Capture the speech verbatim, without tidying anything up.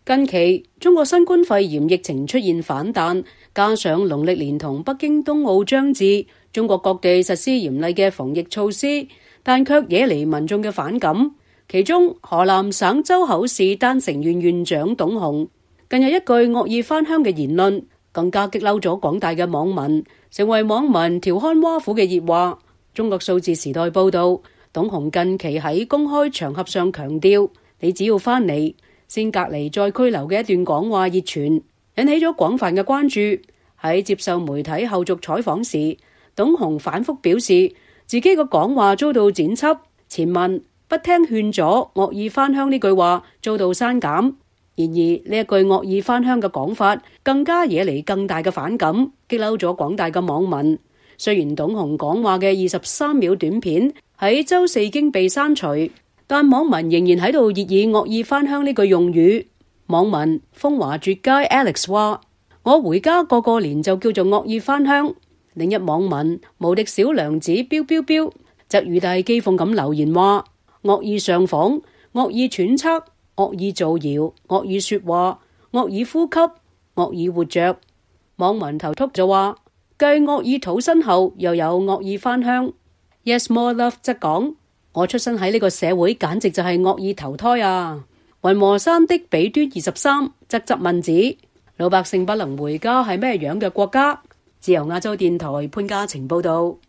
近期中國新冠肺炎疫情出現反彈，加上農曆年同北京冬奧將至，中國各地實施嚴厲嘅防疫措施，但卻惹嚟民眾嘅反感。其中河南省周口市丹城縣縣長董洪近日一句惡意返鄉嘅言論，更加激嬲咗廣大嘅網民，成為網民調侃挖苦嘅熱話。中國數字時代報道，董洪近期喺公開場合上強調，你只要返嚟先隔離再拘留嘅一段講話熱傳，引起咗廣泛嘅關注。喺接受媒體後續採訪時，董洪反覆表示自己嘅講話遭到剪輯，前文不聽勸阻惡意返鄉呢句話遭到刪減。然而呢一句惡意返鄉嘅講法更加惹嚟更大嘅反感，激嬲咗廣大嘅網民。雖然董洪講話嘅二十三秒短片喺周四已經被刪除，但網民仍然喺度熱議惡意返鄉呢句用語。網民風華絕佳 Alex 話：我回家過個年就叫做惡意返鄉。另一網民無敵小娘子標標標則語帶譏諷咁留言話：惡意上訪、惡意揣測、惡意造謠、惡意說話、惡意呼吸、惡意活着。網民頭禿就話：繼惡意討薪後，又有惡意返鄉。Yes More Love 則講：我出生喺呢個社會，簡直就係惡意投胎啊！雲和山的彼端二十三則質問指：老百姓不能回家係咩樣嘅國家？自由亞洲電台潘嘉晴報道。